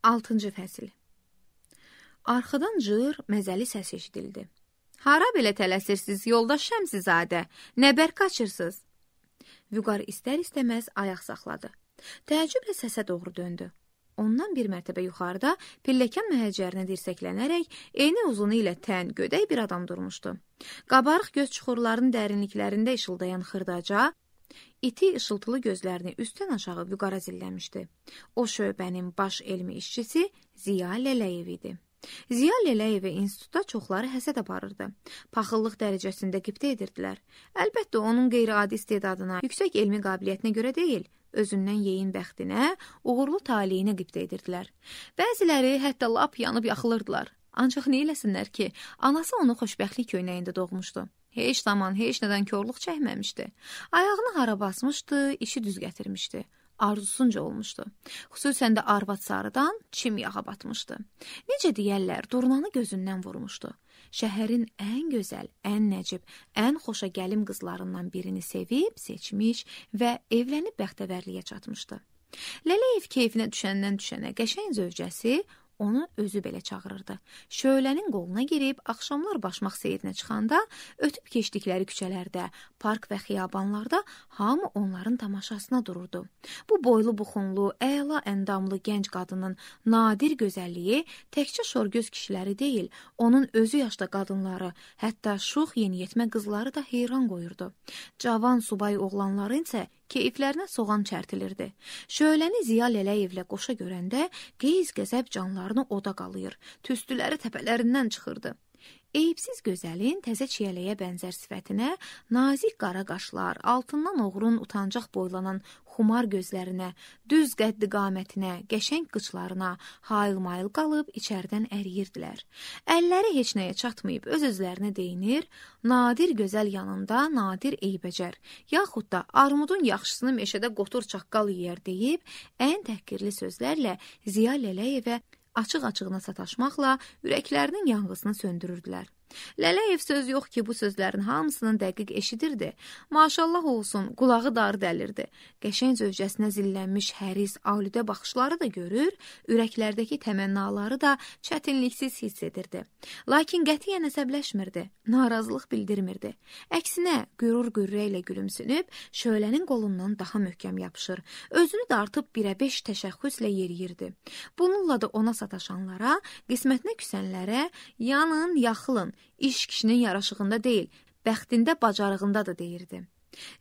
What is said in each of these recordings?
6-cı fəsil. Arxadan cır, məzəli səs eşidildi. Hara belə tələsirsiniz, yoldaş Şəmsizadə? Nə bər qaçırsınız? Vüqar istər-istəməz ayaq saxladı. Təəccüblə səsə doğru döndü. Ondan bir mərtəbə yuxarıda pilləkən məhəccərinə dirsəklənərək eyni uzunu ilə tən, gödək bir adam durmuşdu. Qabarıq göz çuxurlarının dərinliklərində işıldayan xırdaca, iti işıltılı gözlərini üstdən aşağı Vüqara zilləmişdi. O şöbənin baş elmi işçisi Ziya Lələyev idi. Ziya Lələyevə institutda çoxları həsəd aparırdı. Paxıllıq dərəcəsində qibtə edirdilər. Əlbəttə, onun qeyri-adi istedadına, yüksək elmi qabiliyyətinə görə deyil, özündən yeyin bəxtinə, uğurlu taleyinə qibtə edirdilər. Bəziləri hətta lap yanıb yaxılırdılar. Ancaq nə eləsinlər ki, anası onu xoşbəxtlik köynəyində doğmuşdu. Heç zaman, heç nədən korluq çəkməmişdi. Ayağını hara basmışdı, işi düz gətirmişdi. Arzusunca olmuşdu. Xüsusən də arvad sarıdan çim yağa batmışdı. Necə deyərlər, durnanı gözündən vurmuşdu. Şəhərin ən gözəl, ən nəcib, ən xoşa gəlim qızlarından birini sevib, seçmiş və evlənib bəxtəvərliyə çatmışdı. Lələyev keyfinə düşəndən düşənə qəşəng zövcəsi onu özü belə çağırırdı. Şölənin qoluna girib, axşamlar başmaq seyrinə çıxanda, ötüb keçdikləri küçələrdə, park və xiyabanlarda hamı onların tamaşasına dururdu. Bu boylu buxunlu, əla əndamlı gənc qadının nadir gözəlliyi təkcə şorgöz kişiləri deyil, onun özü yaşda qadınları, hətta şux yeniyetmə qızları da heyran qoyurdu. Cavan subay oğlanları isə keyiflərinə soğan çərtilirdi. Şöləni Ziya Lələyevlə qoşa görəndə qeyz-qəzəb canlarını oda qalıyır, tüstüləri təpələrindən çıxırdı. Eyibsiz gözəlin təzə çiyələyə bənzər sifətinə, nazik qara qaşlar, altından oğrun utancaq boylanan xumar gözlərinə, düz qəddi qamətinə, qəşəng qıçlarına hayıl-mayıl qalıb içərdən əriyirdilər. Əlləri heç nəyə çatmayıb öz-özlərinə deyinir, nadir gözəl yanında nadir eybəcər, yaxud da armudun yaxşısını meşədə qotur çaqqal yeyər deyib, ən təhqirli sözlərlə Ziya Lələyevə açıq-açığına sataşmaqla ürəklərinin yanğısını söndürürdülər. Lələyev söz yox ki, bu sözlərin hamısının dəqiq eşidirdi. Maşallah olsun, qulağı darı dəlirdi. Qəşəng zövcəsinə zillənmiş həris, aludə baxışları da görür, ürəklərdəki təmənnaları da çətinliksiz hiss edirdi. Lakin qətiyyən əsəbləşmirdi, narazılıq bildirmirdi. Əksinə, qürur-qürrə ilə gülümsünüb, şölənin qolundan daha möhkəm yapışır, özünü dartıb 1-5 təşəxxüslə yeriyirdi. Bununla da ona sataşanlara, qismətinə küsənlərə, yanın, yaxılın, iş kişinin yaraşığında deyil, bəxtində, bacarığında da deyirdi.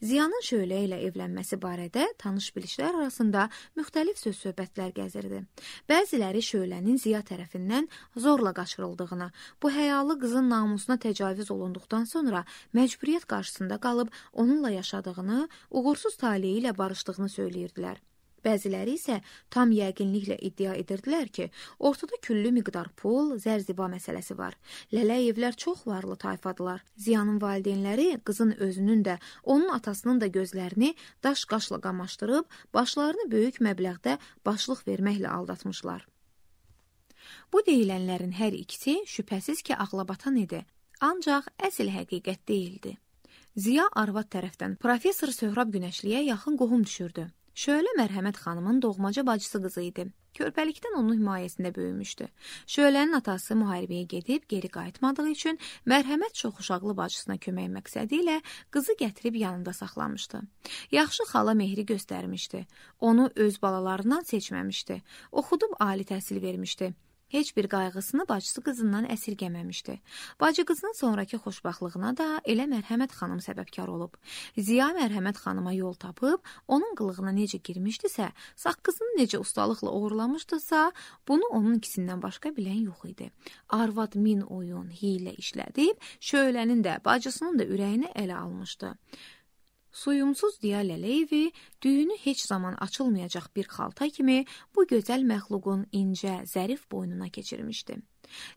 Ziyanın şölə ilə evlənməsi barədə tanış bilişlər arasında müxtəlif söz-söhbətlər gəzirdi. Bəziləri şölənin Ziya tərəfindən zorla qaçırıldığını, bu həyalı qızın namusuna təcavüz olunduqdan sonra məcburiyyət qarşısında qalıb onunla yaşadığını, uğursuz taleyi ilə barışdığını söyləyirdilər. Bəziləri isə tam yəqinliklə iddia edirdilər ki, ortada küllü miqdar pul, zərziba məsələsi var. Lələyevlər çox varlı tayfadılar. Ziyanın valideynləri qızın özünün də, onun atasının da gözlərini daş-qaşla qamaşdırıb, başlarını böyük məbləğdə başlıq verməklə aldatmışlar. Bu deyilənlərin hər ikisi şübhəsiz ki, ağlabatan idi. Ancaq əsl həqiqət deyildi. Ziya arvad tərəfdən professor Söhrab Günəşliyə yaxın qohum düşürdü. Şölə Mərhəmət xanımın doğmaca bacısı qızı idi. Körpəlikdən onun himayəsində böyümüşdü. Şölənin atası müharibəyə gedib geri qayıtmadığı üçün Mərhəmət çoxuşaqlı bacısına kömək məqsədi ilə qızı gətirib yanında saxlamışdı. Yaxşı xala mehri göstərmişdi. Onu öz balalarından seçməmişdi. Oxudub ali təhsil vermişdi. Heç bir qayğısını bacısı qızından əsirgəməmişdi. Bacı qızının sonraki xoşbaxtlığına da elə Mərhəmət xanım səbəbkar olub. Ziya Mərhəmət xanıma yol tapıb, onun qılığına necə girmişdisə, saqqızını necə ustalıqla uğurlamışdısa, bunu onun ikisindən başqa bilən yox idi. Arvad min oyun, hiylə işlədib, şölənin də, bacısının da ürəyini ələ almışdı. Suyumsuz Ziya Lələyevi düyünü heç zaman açılmayacaq bir xalta kimi bu gözəl məxluqun incə, zərif boynuna keçirmişdi.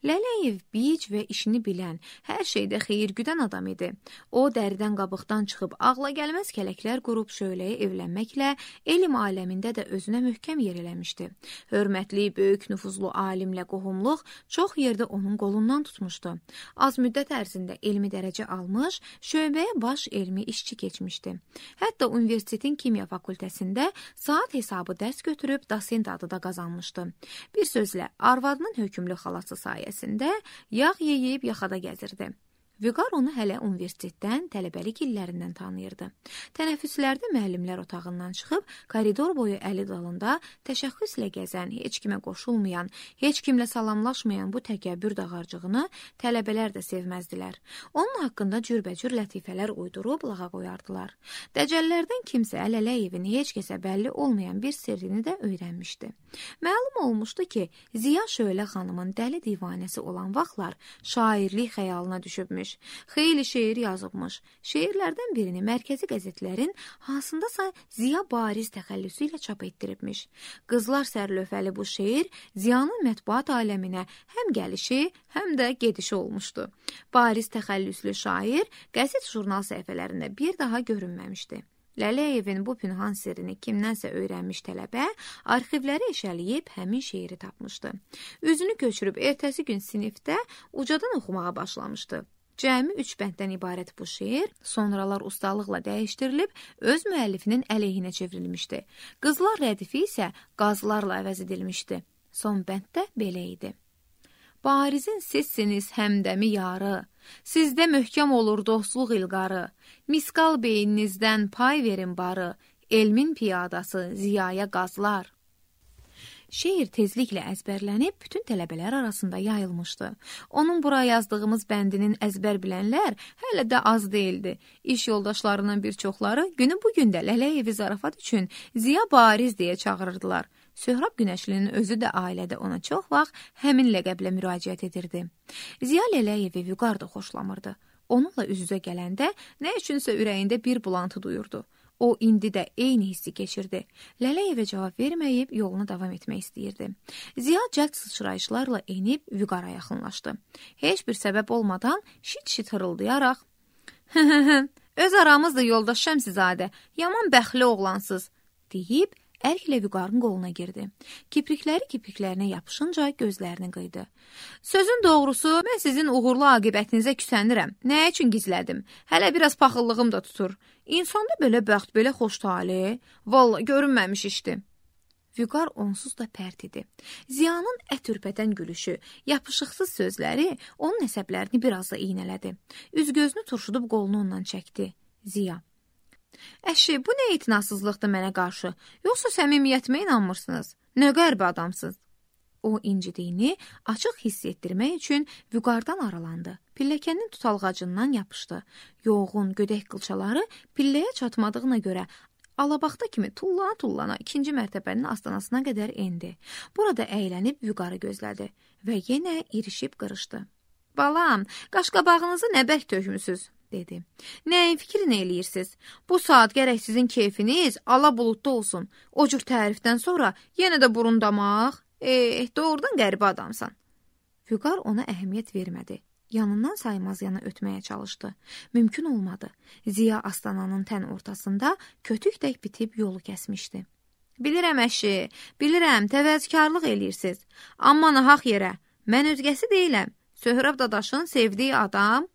Lələyev bic və işini bilən, hər şeydə xeyir güdən adam idi. O, dəridən qabıqdan çıxıb ağla gəlməz kələklər qurub şöləyə evlənməklə elm aləmində də özünə möhkəm yer eləmişdi. Hörmətli, böyük nüfuzlu alimlə qohumluq çox yerdə onun qolundan tutmuşdu. Az müddət ərzində elmi dərəcə almış, şöbəyə baş elmi işçi keçmişdi. Hətta universitetin kimya fakültəsində saat hesabı dərs götürüb dosent adı da qazanmışdı. Bir sözlə, arvadının hökümlü xalası sayəsində yağ yeyib yaxada gəzirdi. Vüqar onu hələ universitetdən, tələbəlik illərindən tanıyırdı. Tənəffüslərdə müəllimlər otağından çıxıb, koridor boyu əli dalında təşəxxüslə gəzən, heç kimə qoşulmayan, heç kimlə salamlaşmayan bu təkəbbür dağarcığını tələbələr də sevməzdilər. Onun haqqında cürbəcür lətifələr uydurub lağa qoyardılar. Dəcəllərdən kimsə Lələyevin heç kəsə bəlli olmayan bir sirrini də öyrənmişdi. Məlum olmuşdu ki, Ziya Şölə xanımın dəli divanəsi olan vaxtlar şairlik xəyalına düşübmüş. Xeyli şeir yazıbmış. Şeirlərdən birini mərkəzi qəzetlərin hansındasa Ziya bariz təxəllüsü ilə çap etdiribmiş. Qızlar sərlövhəli bu şeir Ziyanın mətbuat aləminə həm gəlişi, həm də gedişi olmuşdu. Bariz təxəllüslü şair qəzet jurnal səhifələrində bir daha görünməmişdi. Lələyevin bu pünhan sirrini kimdənsə öyrənmiş tələbə arxivləri eşəliyib həmin şeiri tapmışdı. Üzünü köçürüb ertəsi gün sinifdə ucadan oxumağa başlamışdı. Cəmi 3 bənddən ibarət bu şeir sonralar ustalıqla dəyişdirilib öz müəllifinin əleyhinə çevrilmişdi. Qızlar rədifi isə qazlarla əvəz edilmişdi. Son bənddə belə idi. Barizin sizsiniz həmdəmi yarı, sizdə möhkəm olur dostluq ilqarı, miskal beyninizdən pay verin barı, elmin piyadası Ziyaya qazlar. Şeir tezliklə əzbərlənib bütün tələbələr arasında yayılmışdı. Onun bura yazdığımız bəndinin əzbər bilənlər hələ də az deyildi. İş yoldaşlarının bir çoxları günü bugün də Lələyevi zarafat üçün Ziya Bariz deyə çağırırdılar. Söhrab Günəşlinin özü də ailədə ona çox vaxt həmin ləqəblə müraciət edirdi. Ziya Lələyevi Vüqar da xoşlamırdı. Onunla üz-üzə gələndə nə üçünsə ürəyində bir bulantı duyurdu. O, indi də eyni hissi keçirdi. Lələyevə cavab verməyib yoluna davam etmək istəyirdi. Ziya cəld sıçrayışlarla enib Vüqara yaxınlaşdı. Heç bir səbəb olmadan şit-şit hırıldayaraq öz aramızda yoldaş Şəmsizadə, yaman bəxtli oğlansız, deyib ərklə Vüqarın qoluna girdi. Kiprikləri kipriklərinə yapışınca gözlərini qıydı. Sözün doğrusu, mən sizin uğurlu aqibətinizə küsənirəm. Nə üçün gizlədim? Hələ biraz paxıllığım da tutur. İnsanda belə bəxt, belə xoş tali, vallahi görünməmiş işdi. Vüqar onsuz da pərt idi. Ziyanın ət ürpətən gülüşü, yapışıqsız sözləri onun əsəblərini biraz da iynələdi. Üz-gözünü turşudub qolunu ondan çəkdi. Ziya: Əşi, bu nə itinasızlıqdır mənə qarşı? Yoxsa səmimiyyətimə inanmırsınız? Nə qəribə adamsınız? O incidiyini açıq hiss etdirmək üçün Vüqardan aralandı. Pilləkənin tutalğacından yapışdı. Yoğun, gödək qılçaları pilləyə çatmadığına görə alabaxta kimi tullana-tullana 2-ci mərtəbənin astanasına qədər endi. Burada əylənib Vüqarı gözlədi və yenə irişib qırışdı. Balam, qaşqabağınızı nə bərk tökmüsüz, dedi. Nəyin fikrini eləyirsiniz? Bu saat gərək sizin keyfiniz ala buludda olsun. O cür tərifdən sonra yenə də burun damaq. Doğrudan qəribə adamsan. Vüqar ona əhəmiyyət vermədi. Yanından saymaz yana ötməyə çalışdı. Mümkün olmadı. Ziya astananın tən ortasında kötük tək bitib yolu kəsmişdi. Bilirəm əşi, bilirəm, təvəzzükarlıq eləyirsiniz. Amma nahaq yerə, mən özgəsi deyiləm. Söhrab dadaşın sevdiyi adam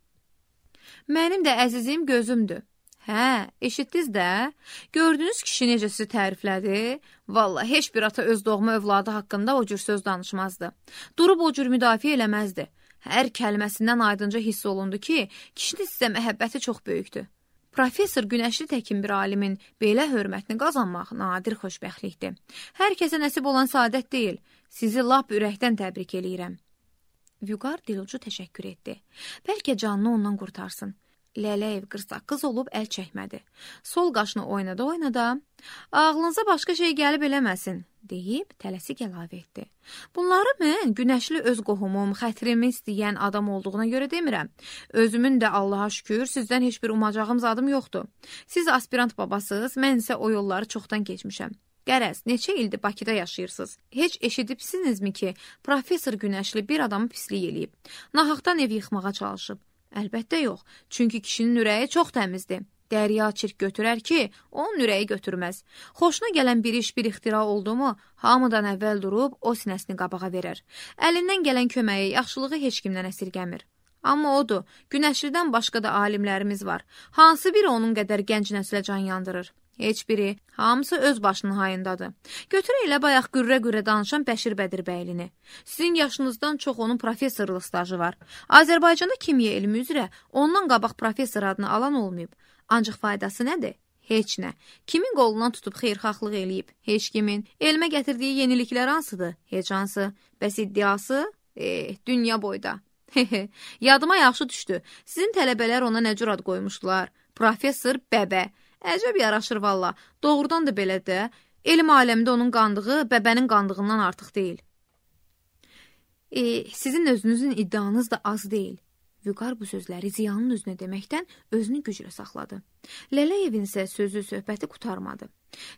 mənim də əzizim gözümdür. Hə, eşitdiniz də? Gördünüz kişi necə sizi təriflədi? Vallahi heç bir ata öz doğma övladı haqqında o cür söz danışmazdı. Durub o cür müdafiə eləməzdi. Hər kəlməsindən aydınca hiss olundu ki, kişinin sizə məhəbbəti çox böyükdür. Professor Günəşli təkin bir alimin belə hörmətini qazanmaq nadir xoşbəxtlikdir. Hər kəsə nəsib olan saadət deyil. Sizi lap ürəkdən təbrik eləyirəm. Vüqar dilucu təşəkkür etdi. Bəlkə canını ondan qurtarsın. Lələyev qırsaqqız olub əl çəkmədi. Sol qaşını oynada-oynada, ağlınıza başqa şey gəlib eləməsin, deyib tələsik əlavə etdi. Bunları mən Günəşli öz qohumum, xətrimi istəyən adam olduğuna görə demirəm. Özümün də Allaha şükür sizdən heç bir umacağım zadım yoxdur. Siz aspirant babasınız, mən isə o yolları çoxdan keçmişəm. Qərəz, neçə ildir Bakıda yaşayırsınız? Heç eşidibsinizmi ki, professor Günəşli bir adamı pislik eləyib? Nahaqdan ev yıxmağa çalışıb? Əlbəttə yox, çünki kişinin ürəyi çox təmizdir. Dərya çirk götürər ki, onun ürəyi götürməz. Xoşuna gələn bir iş, bir ixtira oldu mu, hamıdan əvvəl durub o sinəsini qabağa verər. Əlindən gələn köməyi, yaxşılığı heç kimdən əsirgəmir. Amma odur, Günəşlidən başqa da alimlərimiz var. Hansı biri onun qədər gənc nəslə can yandırır? Heç biri, hamısı öz başının hayındadır. Götür elə bayaq qürrə-qürrə danışan Bəşir Bədirbəylini. Sizin yaşınızdan çox onun professorluq stajı var. Azərbaycanda kimya elmi üzrə ondan qabaq professor adını alan olmayıb. Ancaq faydası nədir? Heç nə. Kimin qolundan tutub xeyirxahlıq eləyib? Heç kimin. Elmə gətirdiyi yeniliklər hansıdır? Heç hansı. Bəs iddiası? Dünya boyda. Yadıma yaxşı düşdü. Sizin tələbələr ona nə cür ad qoymuşdular? Professor Bəbə. Əcəb yaraşır valla. Doğrudan da belə də. Elm aləmdə onun qandığı bəbənin qandığından artıq deyil. Sizin özünüzün iddianız da az deyil. Vüqar bu sözləri Ziyanın üzünə deməkdən özünü güclə saxladı. Lələyevin isə sözü söhbəti qurtarmadı.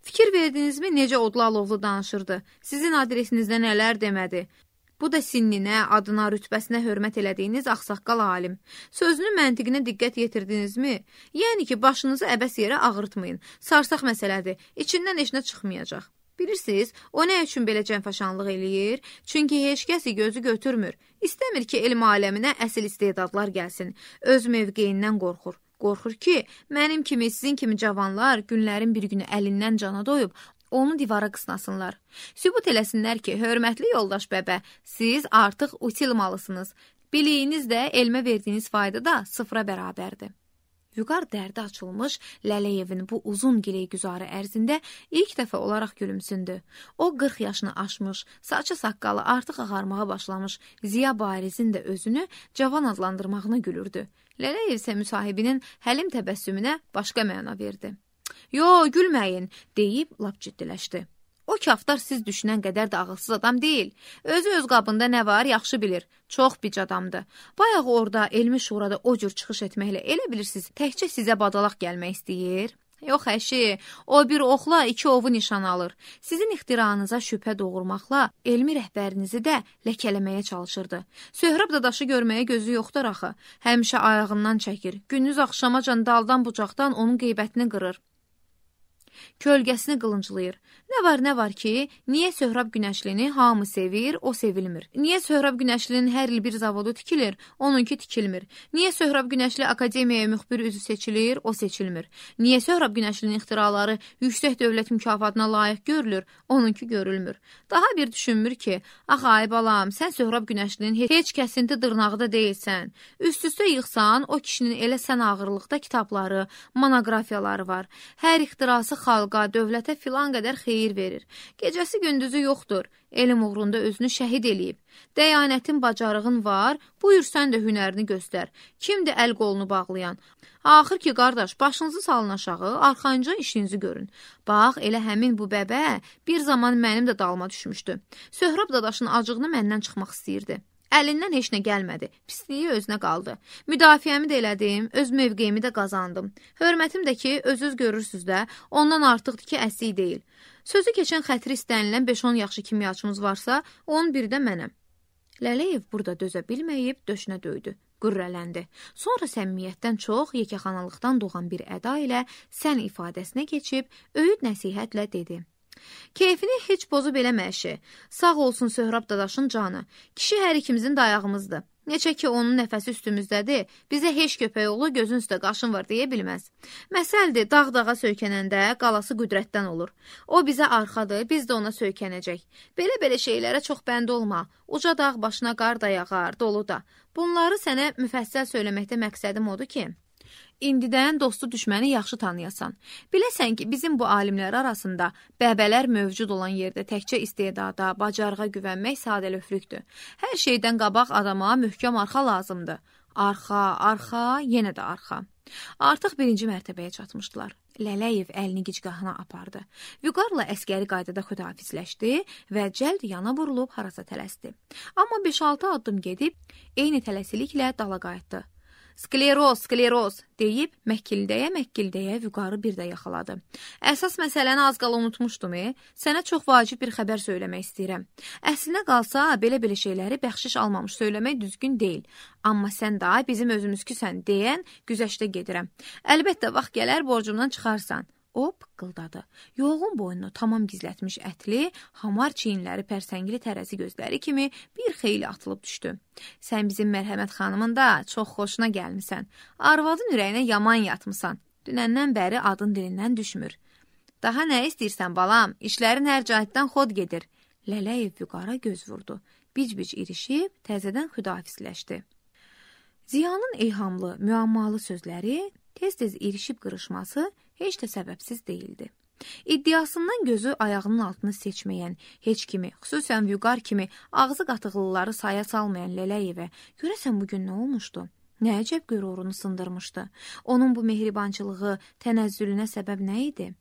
Fikir verdinizmi necə odlu alovlu danışırdı? Sizin adresinizdə nələr demədi? Bu da sinninə, adına, rütbəsinə hörmət elədiyiniz ağsaqqal alim. Sözünün məntiqinə diqqət yetirdinizmi? Yəni ki, başınızı əbəs yerə ağırtmayın. Sarsaq məsələdir, içindən heç nə çıxmayacaq. Bilirsiniz, o nə üçün belə cənfaşanlıq eləyir? Çünki heç kəsi gözü götürmür. İstəmir ki, elm aləminə əsl istedadlar gəlsin. Öz mövqeyindən qorxur. Qorxur ki, mənim kimi, sizin kimi cavanlar günlərin bir günü əlindən cana doyub, onu divara qısnasınlar. Sübut eləsinlər ki, hörmətli yoldaş bəbə, siz artıq utilmalısınız. Biliyiniz də, elmə verdiyiniz fayda da sıfıra bərabərdir. Vüqar dərdi açılmış Lələyevin bu uzun gileygüzarı ərzində ilk dəfə olaraq gülümsündü. O 40 yaşını aşmış, saçı saqqalı artıq ağarmağa başlamış Ziya Barizin də özünü cavan adlandırmağına gülürdü. Lələyev isə müsahibinin həlim təbəssümünə başqa məna verdi. Yo, gülməyin, deyib lap ciddiləşdi. O kaftar siz düşünən qədər də ağılsız adam deyil. Özü öz qabında nə var, yaxşı bilir. Çox bic adamdır. Bayaq orada, elmi şurada o cür çıxış etməklə elə bilirsiniz, təkcə sizə badalaq gəlmək istəyir. Yox əşi, o bir oxla 2 ovu nişan alır. Sizin ixtiranıza şübhə doğurmaqla elmi rəhbərinizi də ləkələməyə çalışırdı. Söhrab dadaşı görməyə gözü yoxdur axı. Həmişə ayağından çəkir. Gündüz axşamacan daldan bucaqdan onun qeybətini qırır. Kölgəsini qılınclayır. Nə var ki, niyə Söhrab Günəşlini hamı sevir, o sevilmir? Niyə Söhrab Günəşlinin hər il bir zavodu tikilir, onunki tikilmir? Niyə Söhrab Günəşli akademiyaya müxbir üzü seçilir, o seçilmir? Niyə Söhrab Günəşlinin ixtiraları yüksək dövlət mükafatına layiq görülür, onunki görülmür? Daha bir düşünmür ki, ax ay balam, sən Söhrab Günəşlinin heç kəsinti dırnağı da deyilsən. Üst-üstə yıxsan, o kişinin elə sən ağırlıqda kitabları, monografiyaları var. Hər ixtirası xalqa, dövlətə filan qədər xeyir verir. Gecəsi gündüzü yoxdur. Elm uğrunda özünü şəhid eləyib. Dəyanətin, bacarığın var, buyur sən də hünərini göstər. Kimdir əl qolunu bağlayan? Axır ki, qardaş, başınızı salın aşağı, arxanca işinizi görün. Bax, elə həmin bu bəbə bir zaman mənim də dalıma düşmüşdü. Söhrab dadaşın acığını məndən çıxmaq istəyirdi. Əlindən heç nə gəlmədi, pisliyi özünə qaldı. Müdafiəmi də elədim, öz mövqeyimi də qazandım. Hörmətim də ki, özünüz görürsünüz də, ondan artıqdır ki, əsik deyil. Sözü keçən xətri istənilən 5-10 yaxşı kimyaçımız varsa, onun biri də mənəm. Lələyev burada dözə bilməyib döşünə döydü, qürrələndi. Sonra səmimiyyətdən çox yekəxanalıqdan doğan bir əda ilə sən ifadəsinə keçib, öyüd nəsihətlə dedi. Keyfini heç pozub eləmə əşi. Sağ olsun Söhrab dadaşın canı. Kişi hər ikimizin dayağımızdır. Neçə ki onun nəfəsi üstümüzdədir, bizə heç köpək oğlu gözün üstə qaşın var deyə bilməz. Məsəldir, dağ-dağa söykənəndə qalası qüdrətdən olur. O bizə arxadır, biz də ona söykənəcək. Belə şeylərə çox bənd olma. Uca dağ başına qar da yağar, dolu da. Bunları sənə müfəssəl söyləməkdə məqsədim odur ki, İndidən dostu düşməni yaxşı tanıyasan. Biləsən ki, bizim bu alimlər arasında bəbələr mövcud olan yerdə təkcə istedada, bacarığa güvənmək sadəlöflükdür. Hər şeydən qabaq adama möhkəm arxa lazımdır. Arxa, yenə də arxa. Artıq 1-ci mərtəbəyə çatmışdılar. Lələyev əlini gicgahına apardı. Vüqarla əskəri qaydada xudahafizləşdi və cəld yana vurulub harasa tələsdi. Amma 5-6 addım gedib, eyni tələsiliklə dala qayıtdı. Skleroz, skleroz deyib məkkildəyə Vüqarı bir də yaxaladı. Əsas məsələni az qala unutmuşdum. Sənə çox vacib bir xəbər söyləmək istəyirəm. Əslinə qalsa, belə şeyləri bəxşiş almamış söyləmək düzgün deyil. Amma sən daha bizim özümüzküsən deyən güzəştə gedirəm. Əlbəttə, vaxt gələr borcumdan çıxarsan. O pıqqıldadı. Yoğun boynunu tamam gizlətmiş ətli, hamar çiyinləri, pərsəngili tərəzi gözləri kimi bir xeyli atılıb düşdü. Sən bizim Mərhəmət xanımın da çox xoşuna gəlmisən. Arvadın ürəyinə yaman yatmısan. Dünəndən bəri adın dilindən düşmür. Daha nə istəyirsən balam? İşlərin hər cəhətdən xod gedir. Lələyev Vüqara göz vurdu. Bic-bic irişib, təzədən xüdahafizləşdi. Ziyanın eyhamlı, müammalı sözləri, tez-tez irişib qırışması heç də səbəbsiz deyildi. İddiasından gözü ayağının altını seçməyən heç kimi, xüsusən Vüqar kimi ağzı qatıqlıları saya salmayan Lələyevə görəsən bugün nə olmuşdu? Nə əcəb qürurunu sındırmışdı? Onun bu mehribançılığı, tənəzzülünə səbəb nə idi?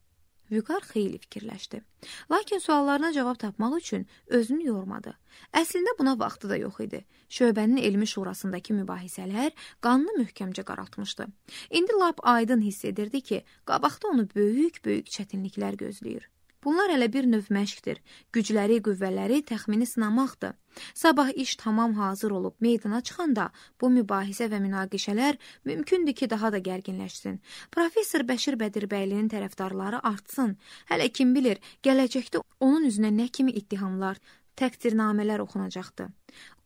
Vüqar xeyli fikirləşdi. Lakin suallarına cavab tapmaq üçün özünü yormadı. Əslində buna vaxtı da yox idi. Şöbənin elmi şurasındakı mübahisələr qanını möhkəmcə qaraltmışdı. İndi lap aydın hiss edirdi ki, qabaqda onu böyük-böyük çətinliklər gözləyir. Bunlar hələ bir növ məşqdir. Gücləri, qüvvələri təxmini sınamaqdır. Sabah iş tamam hazır olub meydana çıxanda bu mübahisə və münaqişələr mümkündür ki, daha da gərginləşsin. Professor Bəşir Bədirbəylinin tərəfdarları artsın. Hələ kim bilir, gələcəkdə onun üzünə nə kimi ittihamlar, təqdirnamələr oxunacaqdı.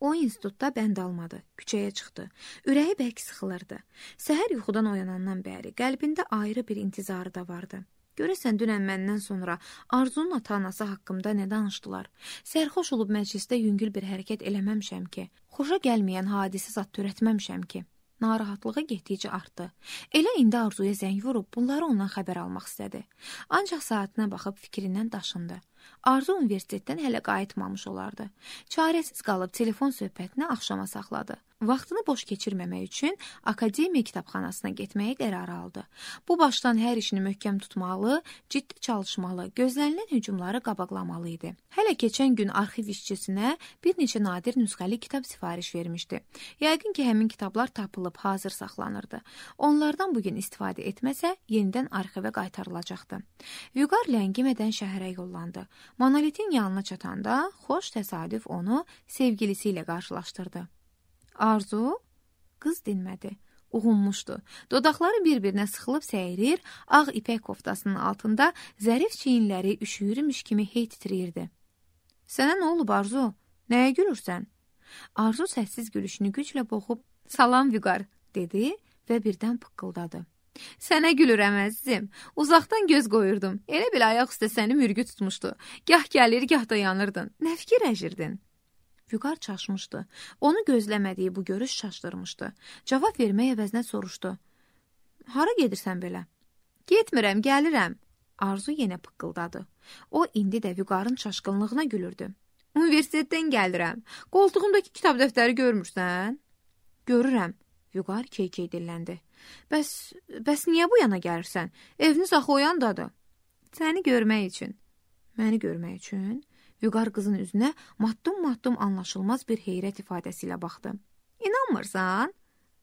O institutda bənd almadı, küçəyə çıxdı. Ürəyi bərk sıxılırdı. Səhər yuxudan oyanandan bəri qəlbində ayrı bir intizarı da vardı. Görəsən dünən məndən sonra Arzunun ata-anası haqqımda nə danışdılar? Sərxoş olub məclisdə yüngül bir hərəkət eləməmişəm ki, xoşa gəlməyən hadisi zad törətməmişəm ki. Narahatlığı getdikcə artdı. Elə indi Arzuya zəng vurub bunları ondan xəbər almaq istədi. Ancaq saatına baxıb fikrindən daşındı. Arzu universitetdən hələ qayıtmamış olardı. Çarəsiz qalıb telefon söhbətini axşama saxladı. Vaxtını boş keçirməmək üçün akademiya kitabxanasına getməyə qərar aldı. Bu başdan hər işini möhkəm tutmalı, ciddi çalışmalı, gözlənilən hücumları qabaqlamalı idi. Hələ keçən gün arxiv işçisinə bir neçə nadir nüsxəli kitab sifariş vermişdi. Yəqin ki, həmin kitablar tapılıb hazır saxlanırdı. Onlardan bugün istifadə etməsə, yenidən arxivə qaytarılacaqdı. Vüqar ləngimədən şəhərə yollandı. Monolitin yanına çatanda xoş təsadüf onu sevgilisi ilə qarşılaşdırdı. Arzu? Qız dinmədi. Uğunmuşdu. Dodaqları bir-birinə sıxılıb səyirir, ağ ipək koftasının altında zərif çiyinləri üşüyürmüş kimi hey titrəyirdi. Sənə nə olub Arzu? Nəyə gülürsən? Arzu səssiz gülüşünü güclə boğub, salam Vüqar, dedi və birdən pıqqıldadı. Sənə gülürəm əzizim. Uzaqdan göz qoyurdum. Elə bil ayaq üstə səni mürgü tutmuşdu. Gah gəlir, gah da yanırdın. Nə fikirləşirdin? Vüqar çaşmışdı. Onu gözləmədiyi bu görüş çaşdırmışdı. Cavab vermək əvəzinə soruşdu. Hara gedirsən belə? Getmirəm, gəlirəm. Arzu yenə pıqqıldadı. O indi də Vüqarın çaşqınlığına gülürdü. Universitetdən gəlirəm. Qoltuğumdakı kitab dəftəri görmürsən? Görürəm. Vüqar keykey dilləndi. Bəs niyə bu yana gəlirsən? Eviniz axı o yandadır. Səni görmək üçün. Məni görmək üçün? Vüqar qızın üzünə matdım-matdım anlaşılmaz bir heyrət ifadəsi ilə baxdı. İnanmırsan?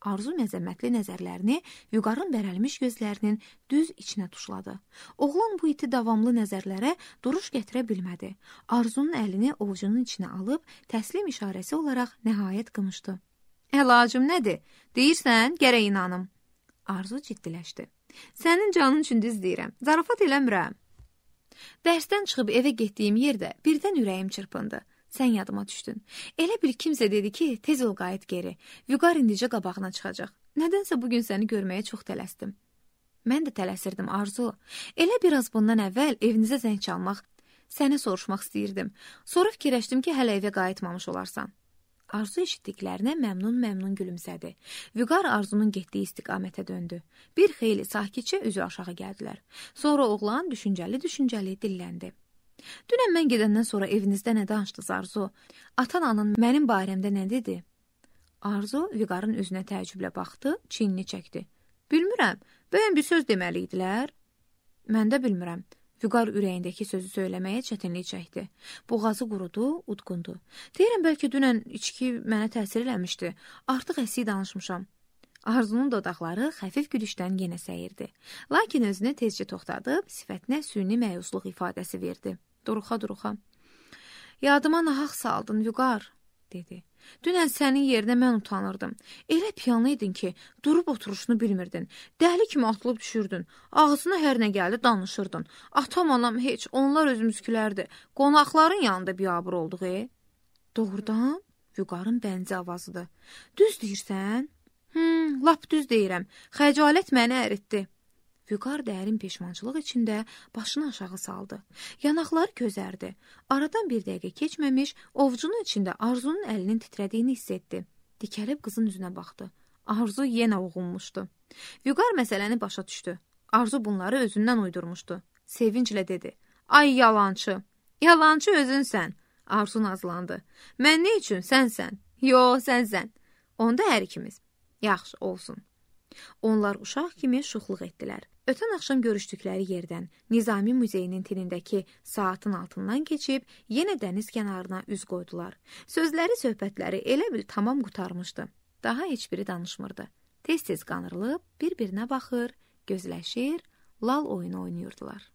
Arzu məzəmmətli nəzərlərini Vüqarın bərəlmiş gözlərinin düz içinə tuşladı. Oğlan bu iti davamlı nəzərlərə duruş gətirə bilmədi. Arzunun əlini ovucunun içinə alıb təslim işarəsi olaraq nəhayət qımışdı. Əlacım nədir? Deyirsən, gərək inanım. Arzu ciddiləşdi. Sənin canın üçün düz deyirəm. Zarafat eləmirəm. Dərsdən çıxıb evə getdiyim yerdə birdən ürəyim çırpındı. Sən yadıma düşdün. Elə bil kimsə dedi ki, tez ol qayıt geri. Vüqar indicə qabağına çıxacaq. Nədənsə bugün səni görməyə çox tələsdim. Mən də tələsirdim Arzu. Elə biraz bundan əvvəl evinizə zəng çalmaq, səni soruşmaq istəyirdim. Sonra fikirləşdim ki, hələ evə qayıtmamış olarsan. Arzu eşitdiklərinə məmnun gülümsədi. Vüqar Arzunun getdiyi istiqamətə döndü. Bir xeyli sakitcə üzü aşağı gəldilər. Sonra oğlan düşüncəli dilləndi. Dünən mən gedəndən sonra evinizdə nə danışdınız Arzu? Atan-anan mənim barəmdə nə dedi? Arzu Vüqarın üzünə təəccüblə baxdı, çiynini çəkdi. Bilmirəm, bəyən bir söz deməli idilər? Mən də bilmirəm. Vüqar ürəyindəki sözü söyləməyə çətinlik çəkdi. Boğazı qurudu, udqundu. Deyirəm, bəlkə dünən içki mənə təsir eləmişdi. Artıq əsik danışmışam. Arzunun dodaqları xəfif gülüşdən yenə səyirdi. Lakin özünü tezcə toxtadıb, sifətinə süni məyusluq ifadəsi verdi. Duruxa-duruxa. Yadıma nahaq saldın, Vüqar, dedi. Dünən sənin yerinə mən utanırdım. Elə piyanlı idin ki, durub oturuşunu bilmirdin. Dəli kimi atılıb düşürdün. Ağzına hər nə gəldi danışırdın. Atam, anam heç, onlar özümüzkilərdi. Qonaqların yanında biabır olduq, Doğrudan? Vüqarın bənzi avazıdır. Düz deyirsən? Lap düz deyirəm. Xəcalət məni əritdi. Vüqar dərin peşmançılıq içində başını aşağı saldı. Yanaqları közərdi. Aradan bir dəqiqə keçməmiş, ovcunun içində Arzunun əlinin titrədiyini hiss etdi. Dikəlib qızın üzünə baxdı. Arzu yenə uğunmuşdu. Vüqar məsələni başa düşdü. Arzu bunları özündən uydurmuşdu. Sevinclə dedi. Ay yalançı. Yalançı özünsən. Arzu nazlandı. Mən nə üçün? Sənsən. Yo, sənsən. Onda hər ikimiz. Yaxşı, olsun. Onlar uşaq kimi şuxluq etdilər. Ötən axşam görüşdükləri yerdən Nizami Muzeyinin tinindəki saatın altından keçib, yenə dəniz kənarına üz qoydular. Sözləri, söhbətləri elə bil tamam qurtarmışdı. Daha heç biri danışmırdı. Tez-tez qanırılıb, bir-birinə baxır, gözləşir, lal oyunu oynayırdılar.